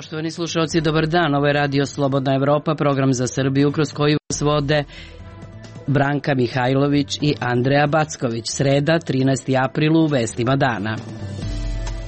Poštovani slušalci, dobar dan. Ovo je Radio Slobodna Evropa, program za Srbiju kroz koji vas vode Branka Mihajlović i Andreja Backović. Sreda, 13. april u vestima dana.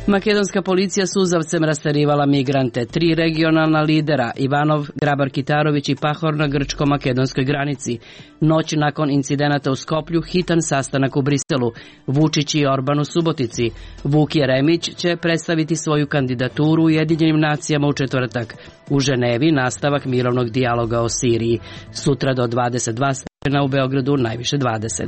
Makedonska policija suzavcem rastarivala migrante. 3 regionalna lidera, Ivanov, Grabar-Kitarović i Pahor na grčko-makedonskoj granici. Noć nakon incidenata u Skoplju, hitan sastanak u Briselu. Vučić i Orban u Subotici. Vuk Jeremić će predstaviti svoju kandidaturu Ujedinjenim nacijama u četvrtak. U Ženevi nastavak mirovnog dijaloga o Siriji. Sutra do 22 stepena, u Beogradu najviše 20.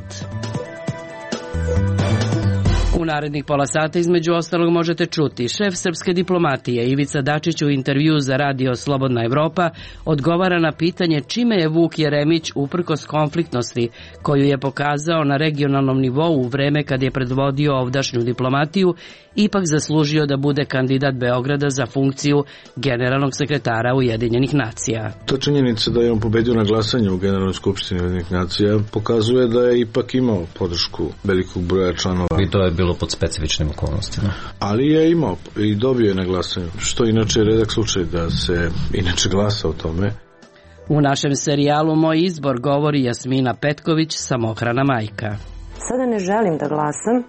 U narednih pola sata između ostalog možete čuti: šef srpske diplomatije Ivica Dačić u intervju za Radio Slobodna Evropa odgovara na pitanje čime je Vuk Jeremić uprkos konfliktnosti koju je pokazao na regionalnom nivou u vreme kad je predvodio ovdašnju diplomatiju ipak zaslužio da bude kandidat Beograda za funkciju generalnog sekretara Ujedinjenih nacija. To činjenica da je on pobedio na glasanju u Generalnoj skupštini Ujedinjenih nacija pokazuje da je ipak imao podršku velikog broja članova. I to je bilo pod specifičnim okolnostima. Ali je imao i dobio je na glasanju, što inače je redak slučaj da se inače glasa o tome. U našem serijalu Moj izbor govori Jasmina Petković, samohrana majka. Sada ne želim da glasam,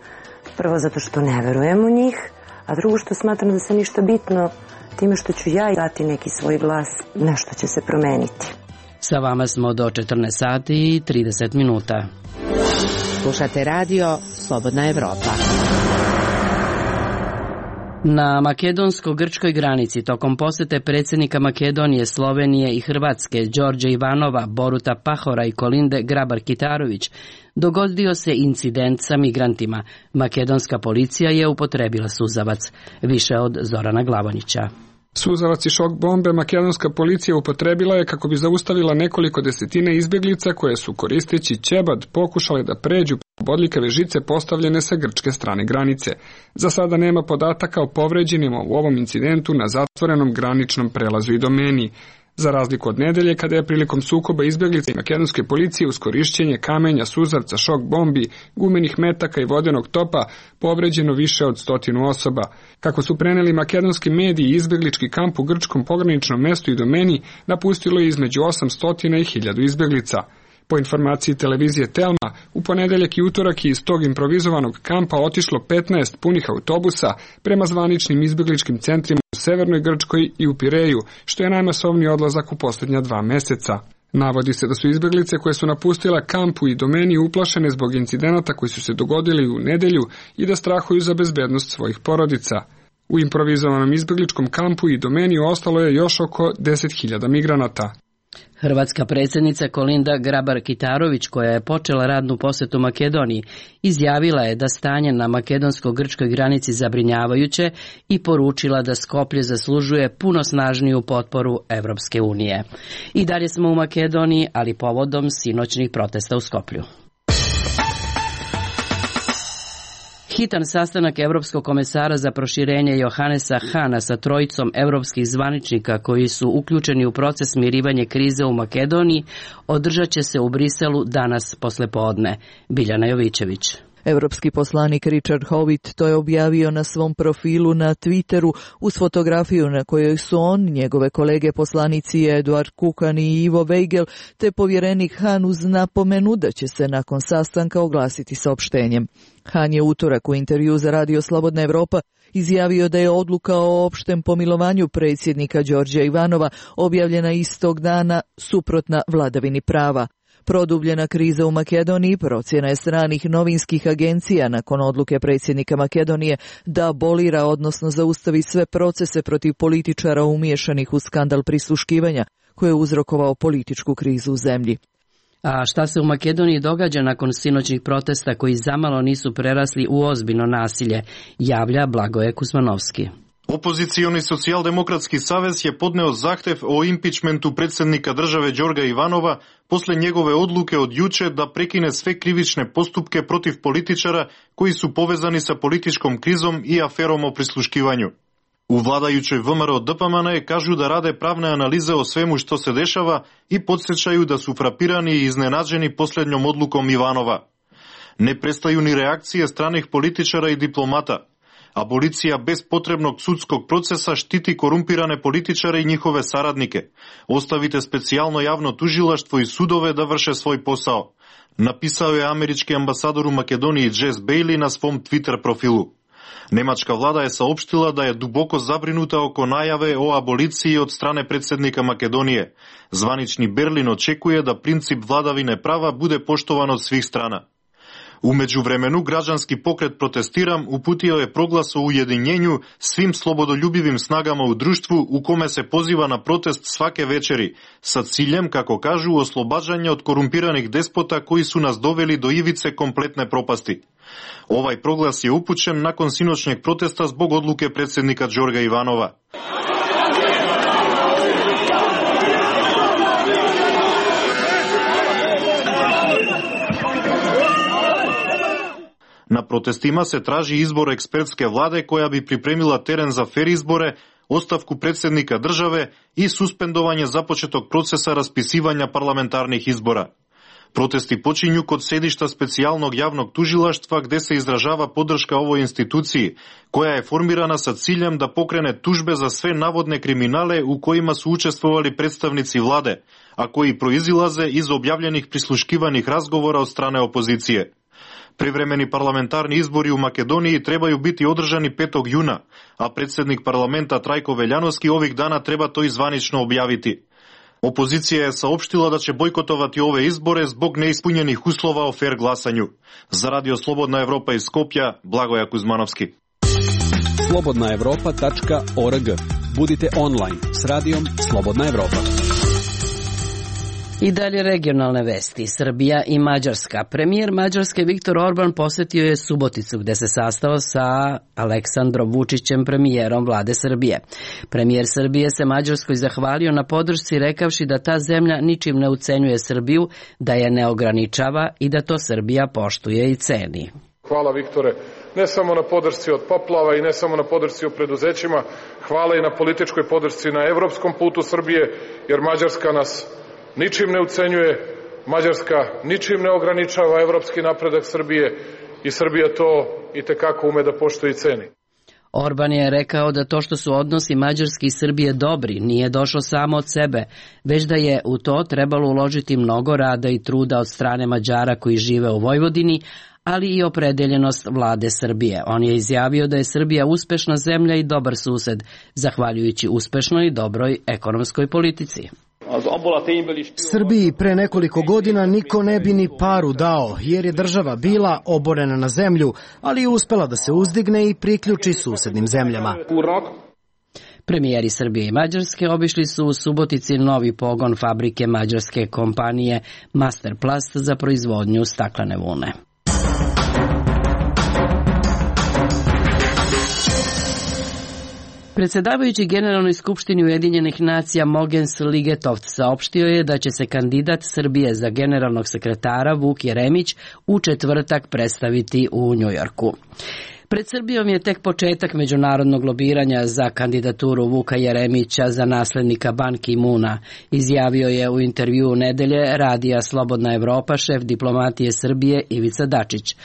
prvo zato što ne verujem u njih, a drugo što smatram da se ništa bitno time što ću ja dati neki svoj glas, nešto će se promeniti. Sa vama smo do 14 sati i 30 minuta. Slušate radio Slobodna Evropa. Na makedonsko-grčkoj granici tokom posete predsjednika Makedonije, Slovenije i Hrvatske Đorđa Ivanova, Boruta Pahora i Kolinde Grabar-Kitarović dogodio se incident sa migrantima. Makedonska policija je upotrebila suzavac. Više od Zorana Glavonića. Suzavac i šok bombe makedonska policija upotrebila je kako bi zaustavila nekoliko desetina izbjeglica koje su koristeći ćebad pokušale da pređu bodljikave žice postavljene sa grčke strane granice. Za sada nema podataka o povređenima u ovom incidentu na zatvorenom graničnom prelazu i domeni. Za razliku od nedelje, kada je prilikom sukoba izbjeglica i makedonske policije uz korišćenje kamenja, suzavca, šok bombi, gumenih metaka i vodenog topa povređeno više od 100 osoba. Kako su preneli makedonski mediji, izbjeglički kamp u grčkom pograničnom mestu i domeni napustilo je između 800 i 1000 izbjeglica. Po informaciji televizije Telma, u ponedeljak i utorak je iz tog improvizovanog kampa otišlo 15 punih autobusa prema zvaničnim izbjegličkim centrima u Severnoj Grčkoj i u Pireju, što je najmasovniji odlazak u posljednja 2 meseca. Navodi se da su izbjeglice koje su napustila kampu i domeni uplašene zbog incidenata koji su se dogodili u nedelju i da strahuju za bezbednost svojih porodica. U improvizovanom izbjegličkom kampu i domeni ostalo je još oko 10.000 migranata. Hrvatska predsjednica Kolinda Grabar-Kitarović, koja je počela radnu posjetu Makedoniji, izjavila je da stanje na makedonsko-grčkoj granici zabrinjavajuće i poručila da Skoplje zaslužuje puno snažniju potporu Evropske unije. I dalje smo u Makedoniji, ali povodom sinoćnih protesta u Skoplju. Hitan sastanak Evropskog komesara za proširenje Johannesa Hana sa trojicom evropskih zvaničnika koji su uključeni u proces smirivanja krize u Makedoniji održat će se u Briselu danas poslepodne. Biljana Jovićević. Evropski poslanik Richard Howitt to je objavio na svom profilu na Twitteru uz fotografiju na kojoj su on, njegove kolege poslanici Eduard Kukan i Ivo Weigel te povjerenik Han uz napomenu da će se nakon sastanka oglasiti saopštenjem. Han je utorak u intervju za Radio Slobodna Evropa izjavio da je odluka o opštem pomilovanju predsjednika Đorđa Ivanova objavljena istog dana suprotna vladavini prava. Produbljena kriza u Makedoniji procjena je stranih novinskih agencija nakon odluke predsjednika Makedonije da abolira, odnosno zaustavi sve procese protiv političara umiješanih u skandal prisluškivanja koji je uzrokovao političku krizu u zemlji. A šta se u Makedoniji događa nakon sinoćnih protesta koji zamalo nisu prerasli u ozbiljno nasilje, javlja Blagoje Kuzmanovski. Opozicioni socijaldemokratski savez je podneo zahtev o impičmentu predsjednika države Đorga Ivanova posle njegove odluke od juče da prekine sve krivične postupke protiv političara koji su povezani sa političkom krizom i aferom o prisluškivanju. U vladajućoj VMRO DPMNE kažu da rade pravne analize o svemu što se dešava i podsjećaju da su frapirani i iznenađeni posljednjom odlukom Ivanova. Ne prestaju ni reakcije stranih političara i diplomata. Abolicija bez potrebnog sudskog procesa štiti korumpirane političare i njihove saradnike. Ostavite specijalno javno tužilaštvo i sudove da vrše svoj posao. Napisao je američki ambasador u Makedoniji Jess Bailey na svom Twitter profilu. Nemačka vlada je saopštila da je duboko zabrinuta oko najave o aboliciji od strane predsjednika Makedonije. Zvanični Berlin očekuje da princip vladavine prava bude poštovan od svih strana. U međuvremenu građanski pokret Protestiram uputio je proglas o ujedinjenju svim slobodoljubivim snagama u društvu u kome se poziva na protest svake večeri, sa ciljem, kako kažu, oslobađanja od korumpiranih despota koji su nas doveli do ivice kompletne propasti. Ovaj proglas je upućen nakon sinoćnjeg protesta zbog odluke predsjednika Đorga Ivanova. Na protestima se traži izbor ekspertske vlade koja bi pripremila teren za fer izbore, ostavku predsjednika države i suspendovanje započetog procesa raspisivanja parlamentarnih izbora. Protesti počinju kod sedišta specijalnog javnog tužilaštva gdje se izražava podrška ovoj instituciji, koja je formirana sa ciljem da pokrene tužbe za sve navodne kriminale u kojima su učestvovali predstavnici vlade, a koji proizilaze iz objavljenih prisluškivanih razgovora od strane opozicije. Privremeni parlamentarni izbori u Makedoniji trebaju biti održani 5. juna, a predsjednik parlamenta Trajko Veljanovski ovih dana treba to i zvanično objaviti. Opozicija je saopštila da će bojkotovati ove izbore zbog neispunjenih uslova o fer glasanju. Za Radio Slobodna Evropa iz Skopja, Blagoja Kuzmanovski. slobodnaevropa.org. Budite online s radijom Slobodna Evropa. I dalje regionalne vesti. Srbija i Mađarska. Premijer Mađarske Viktor Orban posjetio je Suboticu gdje se sastao sa Aleksandrom Vučićem, premijerom vlade Srbije. Premijer Srbije se Mađarskoj zahvalio na podršci rekavši da ta zemlja ničim ne ucenjuje Srbiju, da je ne ograničava i da to Srbija poštuje i ceni. Hvala Viktore, ne samo na podršci od poplava i ne samo na podršci u preduzećima, hvala i na političkoj podršci na evropskom putu Srbije, jer Mađarska nas ničim ne ucenjuje, Mađarska ničim ne ograničava evropski napredak Srbije i Srbija to itekako ume da poštuje i ceni. Orban je rekao da to što su odnosi Mađarske i Srbije dobri nije došlo samo od sebe, već da je u to trebalo uložiti mnogo rada i truda od strane Mađara koji žive u Vojvodini, ali i opredeljenost vlade Srbije. On je izjavio da je Srbija uspešna zemlja i dobar sused, zahvaljujući uspešnoj i dobroj ekonomskoj politici. Srbiji pre nekoliko godina niko ne bi ni paru dao, jer je država bila oborena na zemlju, ali je uspela da se uzdigne i priključi susednim zemljama. Premijeri Srbije i Mađarske obišli su u Subotici novi pogon fabrike mađarske kompanije Masterplast za proizvodnju staklene vune. Predsjedavajući Generalnoj skupštini Ujedinjenih nacija Mogens Ligetoft saopštio je da će se kandidat Srbije za generalnog sekretara Vuk Jeremić u četvrtak predstaviti u Njujorku. Pred Srbijom je tek početak međunarodnog lobiranja za kandidaturu Vuka Jeremića za naslednika Ban Ki-moona, izjavio je u intervjuu nedelje Radija Slobodna Evropa šef diplomatije Srbije Ivica Dačić.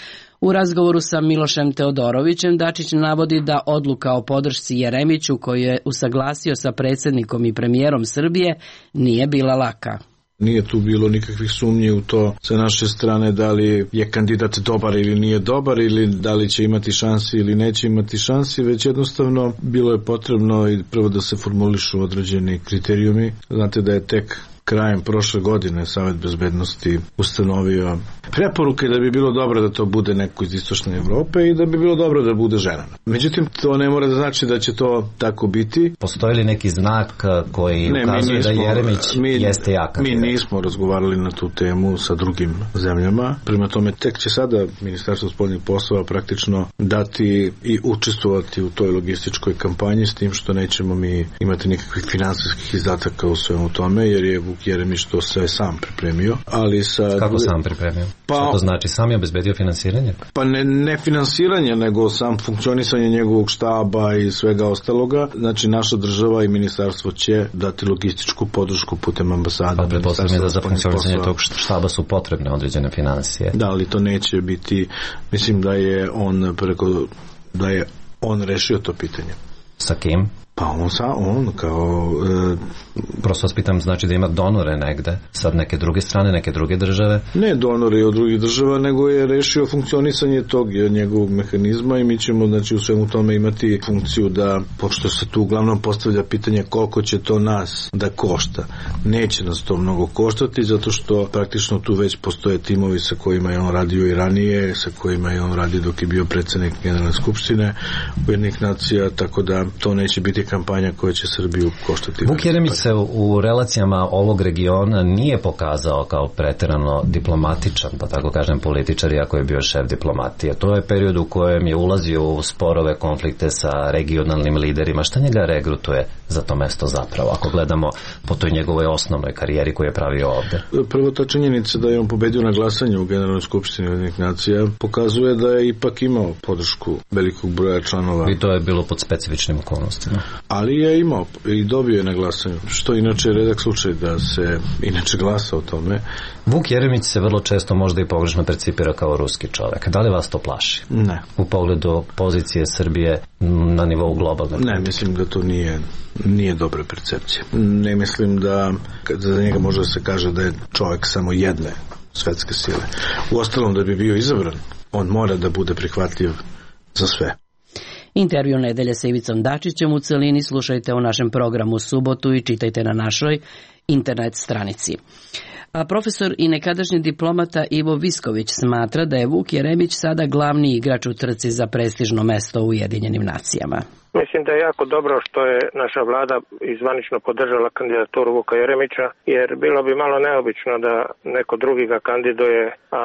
U razgovoru sa Milošem Teodorovićem Dačić navodi da odluka o podršci Jeremiću koju je usaglasio sa predsjednikom i premijerom Srbije nije bila laka. Nije tu bilo nikakvih sumnji u to sa naše strane da li je kandidat dobar ili nije dobar ili da li će imati šansi ili neće imati šansi, već jednostavno bilo je potrebno i prvo da se formulišu određeni kriterijumi. Znate da je tek krajem prošle godine Savet bezbednosti ustanovio preporuke da bi bilo dobro da to bude neko iz istočne Evrope i da bi bilo dobro da bude žena. Međutim, to ne mora da znači da će to tako biti. Postoji li neki znak koji ukazuje da Jeremić jeste jak? Mi nismo razgovarali na tu temu sa drugim zemljama. Prema tome, tek će sada Ministarstvo spoljnih poslova praktično dati i učestvovati u toj logističkoj kampanji, s tim što nećemo mi imati nikakvih finansijskih izdataka u svemu tome, jer je Vuk Jeremić to sve sam pripremio. Ali kako sam pripremio? Što to znači? Sam je obezbedio finansiranje? Pa ne finansiranje, nego sam funkcionisanje njegovog štaba i svega ostaloga. Znači, naša država i ministarstvo će dati logističku podršku putem ambasade. Pa pretpostavljam da za funkcionisanje tog štaba su potrebne određene finansije. Da, ali to neće biti, mislim da je on on rešio to pitanje. Sa kim? Pa on kao... Prosto vas pitam, znači da ima donore negde, sad neke druge strane, neke druge države? Ne donore od drugih država, nego je rešio funkcionisanje tog njegovog mehanizma i mi ćemo, znači, u svemu tome imati funkciju da, pošto se tu uglavnom postavlja pitanje koliko će to nas da košta. Neće nas to mnogo koštati, zato što praktično tu već postoje timovi sa kojima je on radio i ranije, sa kojima je on radio dok je bio predsednik Generalne skupštine Ujedinjenih nacija, tako da to neće biti kampanja koja će Srbiju koštati. Vuk Jeremić se u relacijama ovog regiona nije pokazao kao preterano diplomatičan, pa tako kažem političar, iako je bio šef diplomatije. To je period u kojem je ulazio u sporove, konflikte sa regionalnim liderima. Šta njega regrutuje za to mesto zapravo, ako gledamo po toj njegovoj osnovnoj karijeri koju je pravio ovde? Prvo, ta činjenica da je on pobedio na glasanju u Generalnoj skupštini Ujedinjenih nacija pokazuje da je ipak imao podršku velikog broja članova. I to je bilo pod specifičnim okolnostima. Ali je imao i dobio je na glasanju, što inače je redak slučaj da se inače glasa o tome. Vuk Jeremić se vrlo često možda i pogrešno percipira kao ruski čovek. Da li vas to plaši? Ne. U pogledu pozicije Srbije na nivou globalnog? Ne, mislim da to nije dobra percepcija. Ne mislim da za njega može da se kaže da je čovek samo jedne svetske sile. Uostalom, da bi bio izabran, on mora da bude prihvatljiv za sve. Intervju nedelje sa Ivicom Dačićem u celini slušajte u našem programu subotu i čitajte na našoj internet stranici. A profesor i nekadašnji diplomata Ivo Visković smatra da je Vuk Jeremić sada glavni igrač u trci za prestižno mesto u Ujedinjenim nacijama. Mislim da je jako dobro što je naša vlada izvanično podržala kandidaturu Vuka Jeremića, jer bilo bi malo neobično da neko drugi ga kandiduje, a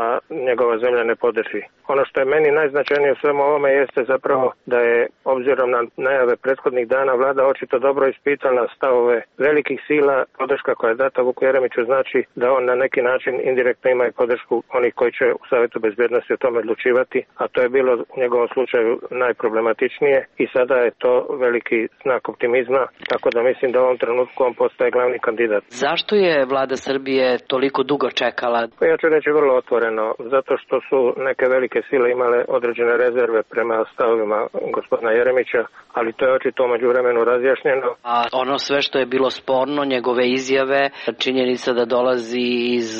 njegova zemlja ne podrži. Ono što je meni najznačajnije u svemu ovome jeste zapravo da je, obzirom na najave prethodnih dana, vlada očito dobro ispitala stavove velikih sila. Podrška koja je data Vuku Jeremiću znači da on na neki način indirektno ima i podršku onih koji će u Savetu bezbednosti o tome odlučivati, a to je bilo u njegovom slučaju najproblematičnije i sada je to veliki znak optimizma, tako da mislim da u ovom trenutku on postaje glavni kandidat. Zašto je vlada Srbije toliko dugo čekala? Ja ću reći vrlo otvoreno, zato što su neke velike sile imale određene rezerve prema stavovima gospodina Jeremića, ali to je očito među vremenu razjašnjeno. A ono sve što je bilo sporno, njegove izjave, činjenica da dolazi iz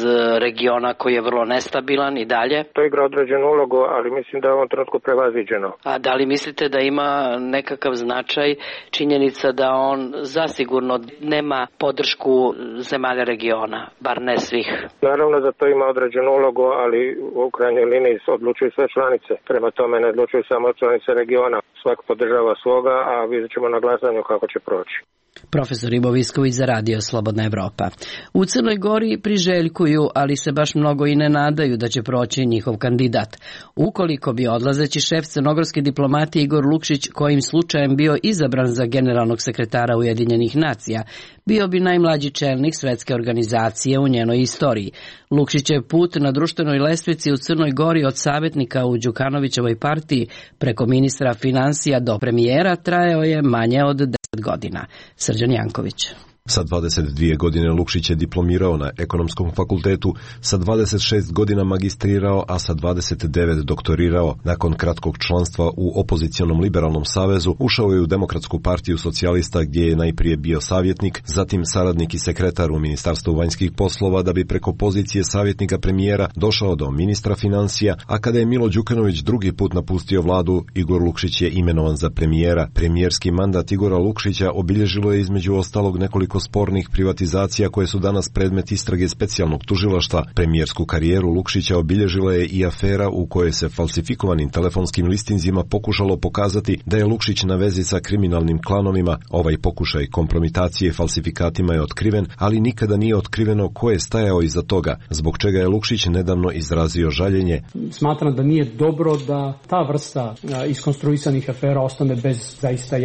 regiona koji je vrlo nestabilan i dalje? To igra određenu ulogu, ali mislim da je u ovom trenutku prevaziđeno. A da li mislite da ima nekakav značaj činjenica da on zasigurno nema podršku zemalja regiona, bar ne svih? Naravno da to ima određenu ulogu, ali u krajnjoj liniji odlučuju sve članice. Prema tome ne odlučuju samo članice regiona. Svak podržava svoga, a vidjet ćemo na glasanju kako će proći. Profesor Ivo Visković za Radio Slobodna Evropa. U Crnoj Gori priželjkuju, ali se baš mnogo i ne nadaju da će proći njihov kandidat. Ukoliko bi odlazeći šef crnogorske diplomatije Igor Lukšić kojim slučajem bio izabran za generalnog sekretara Ujedinjenih nacija, bio bi najmlađi čelnik svetske organizacije u njenoj istoriji. Lukšićev put na društvenoj lestvici u Crnoj Gori od savjetnika u Đukanovićevoj partiji preko ministra finansija do premijera trajao je manje od 10 godina. Srđan Janković. Sa 22 godine Lukšić je diplomirao na Ekonomskom fakultetu, sa 26 godina magistrirao, a sa 29 doktorirao. Nakon kratkog članstva u opozicionom liberalnom savezu ušao je u Demokratsku partiju socijalista gdje je najprije bio savjetnik, zatim saradnik i sekretar u Ministarstvu vanjskih poslova da bi preko pozicije savjetnika premijera došao do ministra financija, a kada je Milo Đukanović drugi put napustio vladu, Igor Lukšić je imenovan za premijera. Premijerski mandat Igora Lukšića obilježilo je između ostalog nekoliko spornih privatizacija koje su danas predmet istrage specijalnog tužilaštva. Premijersku karijeru Lukšića obilježila je i afera u kojoj se falsifikovanim telefonskim listinzima pokušalo pokazati da je Lukšić na vezi sa kriminalnim klanovima. Ovaj pokušaj kompromitacije falsifikatima je otkriven, ali nikada nije otkriveno ko je stajao iza toga, zbog čega je Lukšić nedavno izrazio žaljenje. Smatram da nije dobro da ta vrsta iskonstruisanih afera ostane bez zaista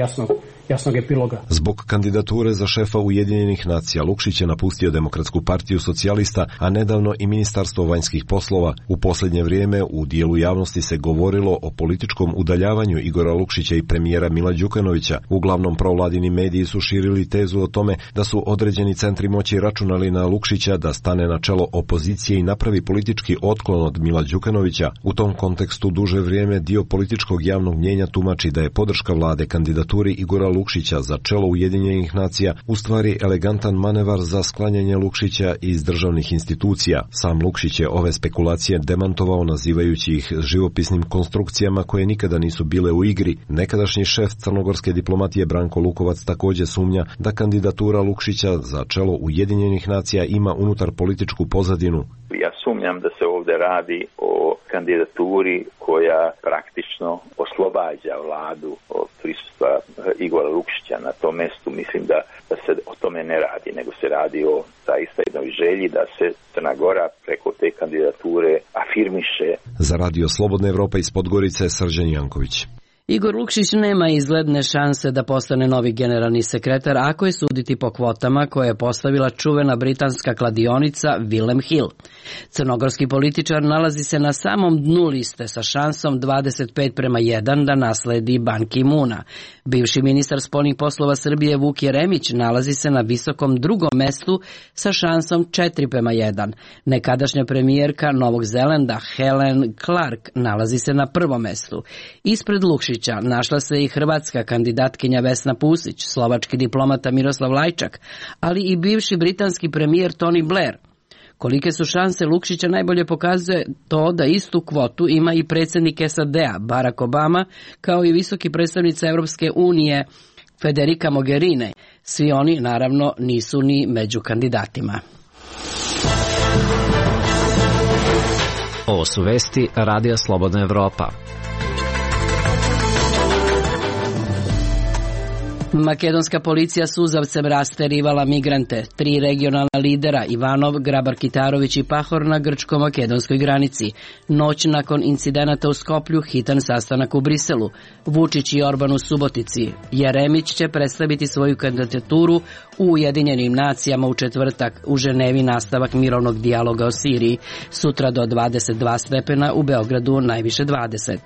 jasnog epiloga. Zbog kandidature za šefa Ujedinjenih nacija Lukšić je napustio Demokratsku partiju socijalista, a nedavno i Ministarstvo vanjskih poslova. U posljednje vrijeme u dijelu javnosti se govorilo o političkom udaljavanju Igora Lukšića i premijera Mila Đukanovića. Uglavnom provladini mediji su širili tezu o tome da su određeni centri moći računali na Lukšića da stane na čelo opozicije i napravi politički otklon od Mila Đukanovića. U tom kontekstu duže vrijeme dio političkog javnog mnjenja tumači da je podrška vlade kandidaturi Igora Lukšića za čelo Ujedinjenih nacija u stvari elegantan manevar za sklanjanje Lukšića iz državnih institucija. Sam Lukšić je ove spekulacije demantovao nazivajući ih živopisnim konstrukcijama koje nikada nisu bile u igri. Nekadašnji šef crnogorske diplomatije Branko Lukovac također sumnja da kandidatura Lukšića za čelo Ujedinjenih nacija ima unutar političku pozadinu. Ja sumnjam da se ovdje radi o kandidaturi koja praktično oslobađa vladu od prisustva Igora Lukšića na tom mjestu. Mislim da se o tome ne radi, nego se radi o zaista jednoj želji da se Crna Gora preko te kandidature afirmiše. Za Radio Slobodna Evropa iz Podgorice, Srđan Janković. Igor Lukšić nema izgledne šanse da postane novi generalni sekretar ako je suditi po kvotama koje je postavila čuvena britanska kladionica Willem Hill. Crnogorski političar nalazi se na samom dnu liste sa šansom 25:1 da nasledi Ban Ki-moona. Bivši ministar spoljnih poslova Srbije Vuk Jeremić nalazi se na visokom drugom mestu sa šansom 4:1. Nekadašnja premijerka Novog Zelanda Helen Clark nalazi se na prvom mestu. Ispred Lukšića našla se i hrvatska kandidatkinja Vesna Pusić, slovački diplomata Miroslav Lajčak, ali i bivši britanski premijer Tony Blair. Kolike su šanse Lukšića najbolje pokazuje to da istu kvotu ima i predsjednik SAD-a Barack Obama, kao i visoki predstavnica Europske unije Federica Mogherini. Svi oni naravno nisu ni među kandidatima. Ovo su vesti Radija Slobodna Evropa. Makedonska policija suzavcem rasterivala migrante. 3 regionalna lidera, Ivanov, Grabar-Kitarović i Pahor, na grčko-makedonskoj granici. Noć nakon incidenata u Skoplju, hitan sastanak u Briselu. Vučić i Orban u Subotici. Jeremić će predstaviti svoju kandidaturu u Ujedinjenim nacijama u četvrtak. U Ženevi nastavak mirovnog dijaloga o Siriji. Sutra do 22 stepena, u Beogradu najviše 20.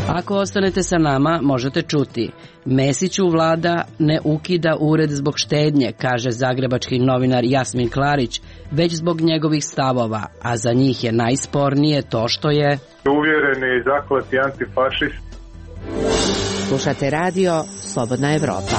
Ako ostanete sa nama, možete čuti: Mesiću vlada ne ukida ured zbog štednje, kaže zagrebački novinar Jasmin Klarić, već zbog njegovih stavova, a za njih je najspornije to što je uvjereni i zakleti antifašist. Slušate radio Slobodna Evropa.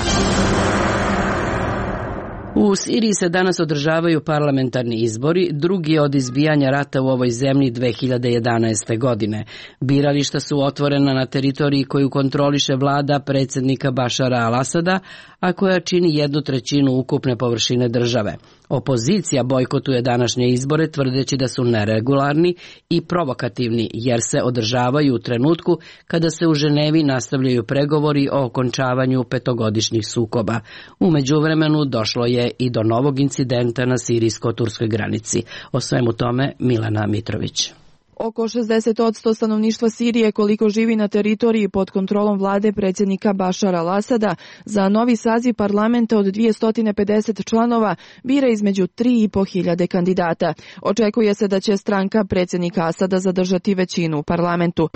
U Siriji se danas održavaju parlamentarni izbori, drugi od izbijanja rata u ovoj zemlji 2011. godine. Birališta su otvorena na teritoriji koju kontroliše vlada predsjednika Bašara al-Asada, a koja čini 1/3 ukupne površine države. Opozicija bojkotuje današnje izbore tvrdeći da su neregularni i provokativni, jer se održavaju u trenutku kada se u Ženevi nastavljaju pregovori o okončavanju 5-godišnjih sukoba. U međuvremenu došlo je i do novog incidenta na sirijsko-turskoj granici. O svemu tome Milana Mitrović. Oko 60% stanovništva Sirije, koliko živi na teritoriji pod kontrolom vlade predsjednika Bašara al-Asada, za novi saziv parlamenta od 250 članova bira između 3.500 kandidata. Očekuje se da će stranka predsjednika Asada zadržati većinu u parlamentu.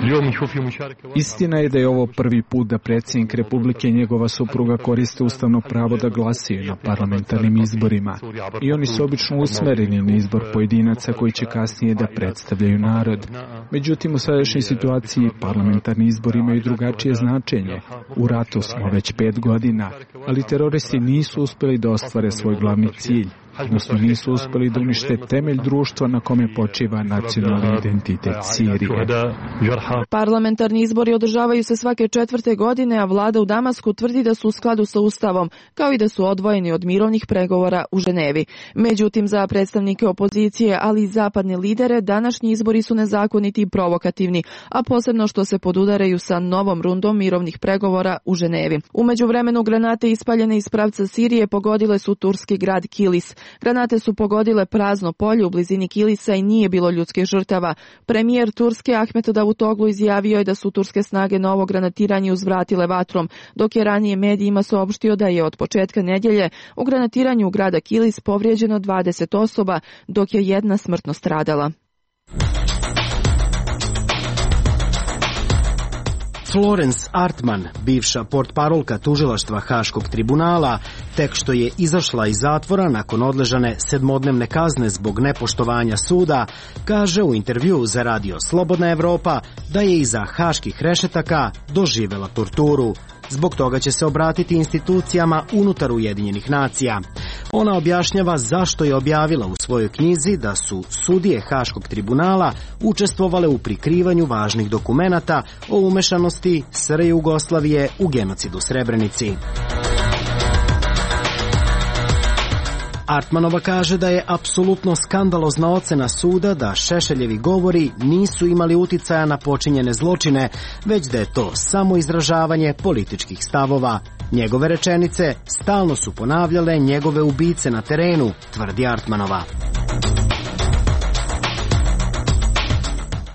Istina je da je ovo prvi put da predsjednik Republike i njegova supruga koriste ustavno pravo da glasaju na parlamentarnim izborima. I oni su obično usmereni na izbor pojedinaca koji će kasnije da predstavljaju narod. Međutim, u sadašnjoj situaciji parlamentarni izbori imaju drugačije značenje. U ratu smo već 5 godina, ali teroristi nisu uspjeli da ostvare svoj glavni cilj. Odnosno nisu uspjeli da unište temelj društva na kome počiva nacionalni identitet Sirije. Parlamentarni izbori održavaju se svake 4. godine, a vlada u Damasku tvrdi da su u skladu sa ustavom, kao i da su odvojeni od mirovnih pregovora u Ženevi. Međutim, za predstavnike opozicije, ali i zapadne lidere, današnji izbori su nezakoniti i provokativni, a posebno što se podudaraju sa novom rundom mirovnih pregovora u Ženevi. U međuvremenu granate ispaljene iz pravca Sirije pogodile su turski grad Kilis. Granate su pogodile prazno polje u blizini Kilisa i nije bilo ljudskih žrtava. Premijer Turske Ahmet Davutoglu izjavio je da su turske snage na ovo granatiranje uzvratile vatrom, dok je ranije medijima saopštio da je od početka nedjelje u granatiranju grada Kilis povrijeđeno 20 osoba, dok je jedna smrtno stradala. Florence Artman, bivša portparolka tužilaštva Haškog tribunala, tek što je izašla iz zatvora nakon odležane 7-dnevne kazne zbog nepoštovanja suda, kaže u intervjuu za radio Slobodna Evropa da je iza haških rešetaka doživela torturu. Zbog toga će se obratiti institucijama unutar Ujedinjenih nacija. Ona objašnjava zašto je objavila u svojoj knjizi da su sudije Haškog tribunala učestvovale u prikrivanju važnih dokumenata o umešanosti SR Jugoslavije u genocidu Srebrenici. Artmanova kaže da je apsolutno skandalozna ocena suda da Šešeljevi govori nisu imali uticaja na počinjene zločine, već da je to samo izražavanje političkih stavova. Njegove rečenice stalno su ponavljale njegove ubice na terenu, tvrdi Artmanova.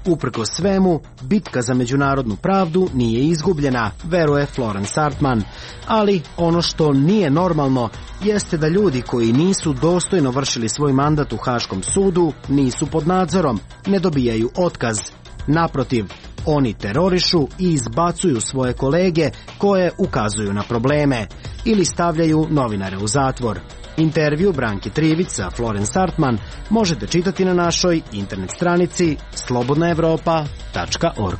Uprkos svemu, bitka za međunarodnu pravdu nije izgubljena, veruje Florence Artman. Ali ono što nije normalno jeste da ljudi koji nisu dostojno vršili svoj mandat u Haškom sudu nisu pod nadzorom, ne dobijaju otkaz. Naprotiv, oni terorišu i izbacuju svoje kolege koje ukazuju na probleme ili stavljaju novinare u zatvor. Intervju Branki Trivić sa Florence Artman možete čitati na našoj internet stranici slobodnaevropa.org.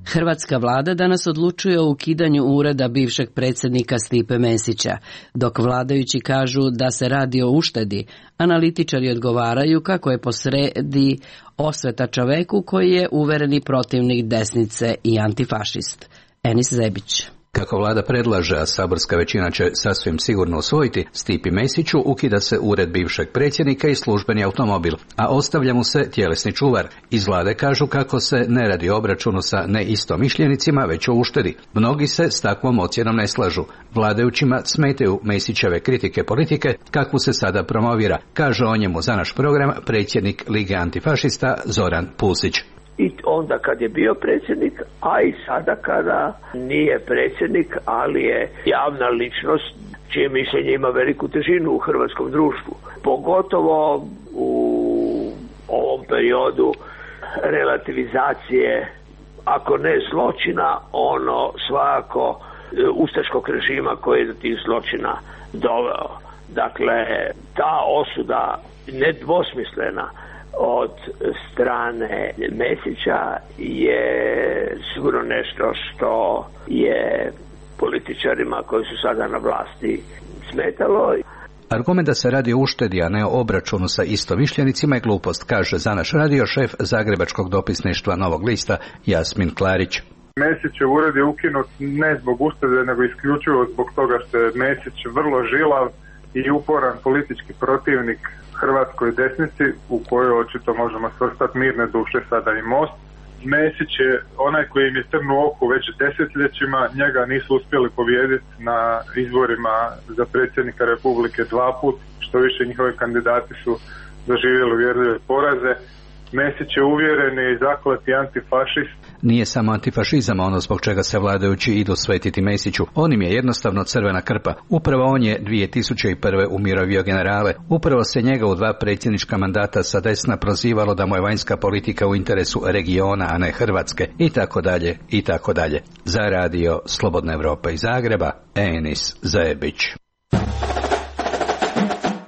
Hrvatska vlada danas odlučuje o ukidanju ureda bivšeg predsjednika Stipe Mesića. Dok vladajući kažu da se radi o uštedi, analitičari odgovaraju kako je posredi osveta čoveku koji je uvereni protivnik desnice i antifašist. Enis Zebić. Kako vlada predlaže, a saborska većina će sasvim sigurno usvojiti, Stipi Mesiću ukida se ured bivšeg predsjednika i službeni automobil, a ostavlja mu se tjelesni čuvar. Iz vlade kažu kako se ne radi o obračunu sa neistomišljenicima, već o uštedi. Mnogi se s takvom ocjenom ne slažu. Vladajućima smetaju Mesićeve kritike politike, kakvu se sada promovira, kaže o njemu za naš program predsjednik Lige antifašista Zoran Pusić. I onda kad je bio predsjednik, a i sada kada nije predsjednik, ali je javna ličnost čije mišljenje ima veliku težinu u hrvatskom društvu. Pogotovo u ovom periodu relativizacije, ako ne zločina, ono svakako ustaškog režima koji je do tih zločina doveo. Dakle, ta osuda nedvosmislena od strane Mesića je sigurno nešto što je političarima koji su sada na vlasti smetalo. Argument da se radi o uštedi, a ne o obračunu sa istomišljenicima je glupost, kaže za naš radio šef zagrebačkog dopisništva Novog lista Jasmin Klarić. Mesićev ured je ukinut ne zbog uštede, nego isključivo zbog toga što je Mesić vrlo žilav i uporan politički protivnik hrvatskoj desnici, u kojoj očito možemo svrstati Mirne duše, sada i Most. Mesić je onaj koji im je trn u oku već desetljećima, njega nisu uspjeli pobijediti na izborima za predsjednika Republike 2 puta, što više njihovi kandidati su doživjeli uvjerljive poraze. Mesić je uvjereni i zakleti antifašist. Nije samo antifašizam ono zbog čega se vladajući idu svetiti Mesiću. On im je jednostavno crvena krpa. Upravo on je 2001. umirovio generale. Upravo se njega u 2 predsjednička mandata sa desna prozivalo da mu je vanjska politika u interesu regiona, a ne Hrvatske. I tako dalje, i tako dalje. Za radio Slobodna Evropa iz Zagreba, Enis Zebić.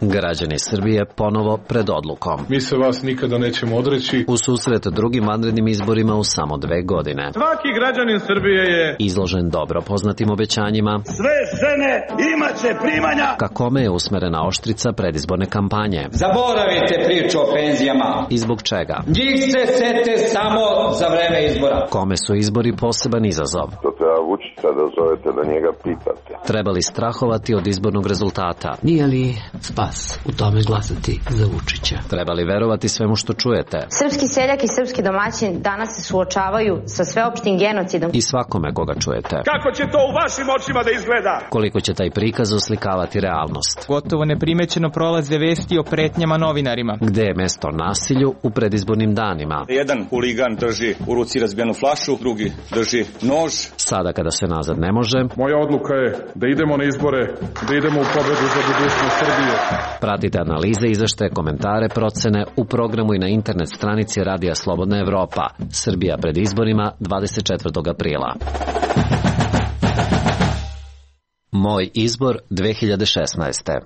Građani Srbije ponovo pred odlukom. Mi se vas nikada nećemo odreći. U susret drugim vanrednim izborima u samo 2 godine. Svaki građanin Srbije je izložen dobro poznatim obećanjima. Sve žene imaće primanja. Ka kome je usmerena oštrica predizborne kampanje. Zaboravite priču o penzijama. I zbog čega? Njih se sete samo za vreme izbora. Kome su izbori poseban izazov? To treba Vučića da zovete, da njega pitate. Treba li strahovati od izbornog rezultata? Nije li spas u tome glasati za Vučića? Treba li verovati svemu što čujete? Srpski seljak i srpski domaćin danas se suočavaju sa sveopštim genocidom. I svakome koga čujete. Kako će to u vašim očima da izgleda? Koliko će taj prikaz oslikavati realnost? Gotovo neprimećeno prolaze vesti o pretnjama novinarima. Gde je mesto nasilju u predizbornim danima? Jedan huligan drži u ruci razbijenu flašu, drugi drži nož. Sada kada se nazad ne može. Moja odluka je da idemo na izbore, da idemo u pobedu za budućnost Srbije. Pratite analize, izveštaje, komentare, procene u programu i na internet stranici Radija Slobodna Evropa. Srbija pred izborima 24. aprila. Moj izbor 2016.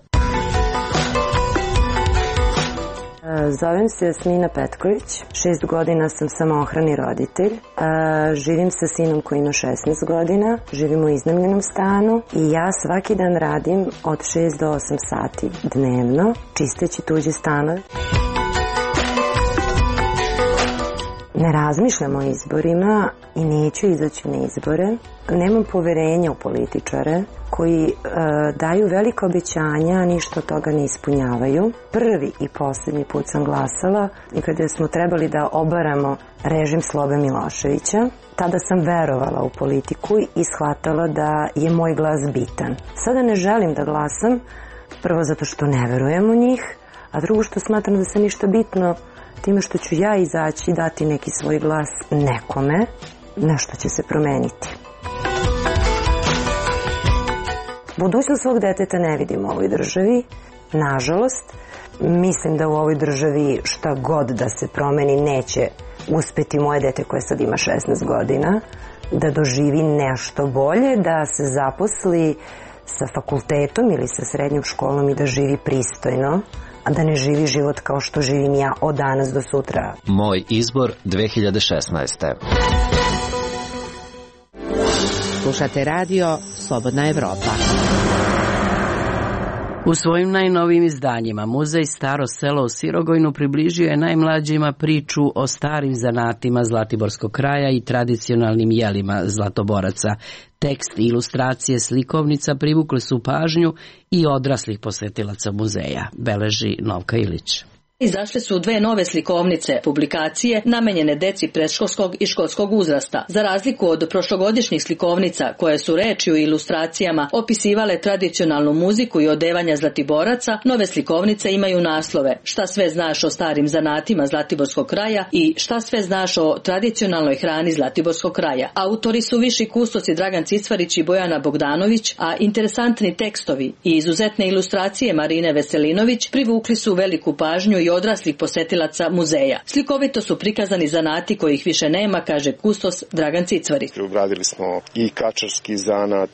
Zovem se Jasmina Petković, 6 godina sam samoohrani roditelj, živim sa sinom koji ima 16 godina, živim u iznajmljenom stanu i ja svaki dan radim od 6 do 8 sati dnevno, čisteći tuđe stanove. Ne razmišljam o izborima i neću izaći na izbore. Nemam poverenja u političare koji daju velike obećanja, a ništa od toga ne ispunjavaju. Prvi i posljednji put sam glasala i kada smo trebali da obaramo režim Slobe Miloševića, tada sam verovala u politiku i shvatala da je moj glas bitan. Sada ne želim da glasam, prvo zato što ne verujem u njih, a drugo što smatram da se ništa bitno time što ću ja izaći i dati neki svoj glas nekome, nešto će se promeniti. Budućnost svog deteta ne vidim u ovoj državi, nažalost. Mislim da u ovoj državi šta god da se promeni neće uspeti moje dete koje sad ima 16 godina, da doživi nešto bolje, da se zaposli sa fakultetom ili sa srednjom školom i da živi pristojno, a da ne živi život kao što živim ja od danas do sutra. Moj izbor 2016. Slušate radio Slobodna Evropa. U svojim najnovijim izdanjima Muzej Staro selo u Sirogojnu približio je najmlađima priču o starim zanatima Zlatiborskog kraja i tradicionalnim jelima Zlatoboraca. Tekst i ilustracije slikovnica privukli su pažnju i odraslih posetilaca muzeja, beleži Novka Ilić. Izašle su 2 nove slikovnice, publikacije namenjene deci predškolskog i školskog uzrasta. Za razliku od prošlogodišnjih slikovnica, koje su rečju i ilustracijama opisivale tradicionalnu muziku i odevanja Zlatiboraca, nove slikovnice imaju naslove Šta sve znaš o starim zanatima Zlatiborskog kraja i Šta sve znaš o tradicionalnoj hrani Zlatiborskog kraja. Autori su viši kustosi Dragan Cicvarić i Bojana Bogdanović, a interesantni tekstovi i izuzetne ilustracije Marine Veselinović privukli su veliku pažnju i odraslih posetilaca muzeja. Slikovito su prikazani zanati kojih više nema, kaže kustos Dragan Cicvarić. Obradili smo i kačarski zanat,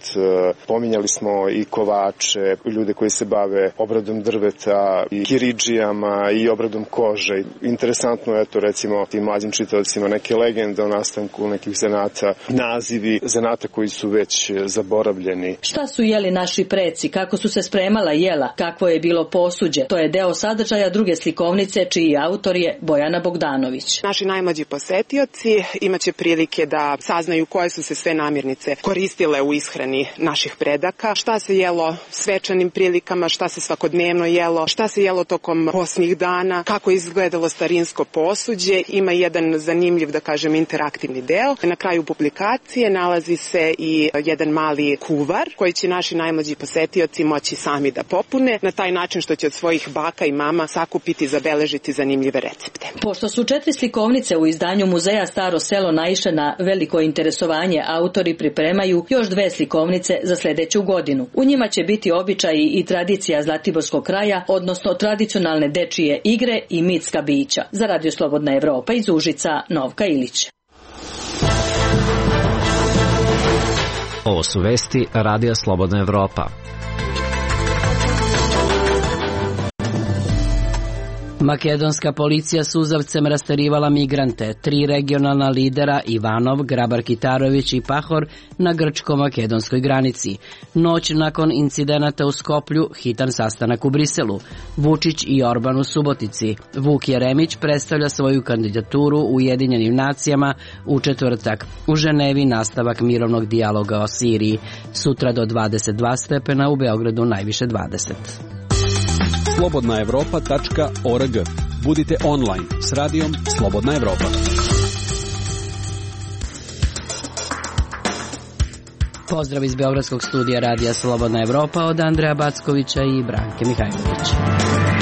pominjali smo i kovače, ljude koji se bave obradom drveta i kiridžijama i obradom kože. Interesantno je to recimo tim mlađim čitaocima neke legende o nastanku nekih zanata, nazivi zanata koji su već zaboravljeni. Šta su jeli naši preci, kako su se spremala jela, kakvo je bilo posuđe, to je deo sadržaja druge slikovnice čiji autor je Bojana Bogdanović. Naši najmlađi posetioci imaće prilike da saznaju koje su se sve namirnice koristile u ishrani naših predaka, šta se jelo svečanim prilikama, šta se svakodnevno jelo, šta se jelo tokom posnih dana, kako je izgledalo starinsko posuđe. Ima jedan zanimljiv, da kažem, interaktivni deo. Na kraju publikacije nalazi se i jedan mali kuvar koji će naši najmlađi posetioci moći sami da popune na taj način što će od svojih baka i mama sakupiti, zabeležiti zanimljive recepte. Pošto su 4 slikovnice u izdanju Muzeja Staro selo naišle na veliko interesovanje, autori pripremaju još 2 slikovnice za sljedeću godinu. U njima će biti običaji i tradicija Zlatiborskog kraja, odnosno tradicionalne dečije igre i mitska bića. Za Radio Slobodna Evropa iz Užica, Novka Ilić. Ovo su vesti Radija Slobodna Evropa. Makedonska policija suzavcem rasterivala migrante, 3 regionalna lidera Ivanov, Grabar-Kitarović i Pahor na grčko-makedonskoj granici. Noć nakon incidenata u Skoplju, hitan sastanak u Briselu. Vučić i Orban u Subotici. Vuk Jeremić predstavlja svoju kandidaturu u Ujedinjenim nacijama u četvrtak. U Ženevi nastavak mirovnog dijaloga o Siriji. Sutra do 22 stepena, u Beogradu najviše 20. slobodnaevropa.org. Budite online s radijom Slobodna Evropa. Pozdrav iz Beogradskog studija radija Slobodna Evropa od Andreja Backovića i Branke Mihajlović.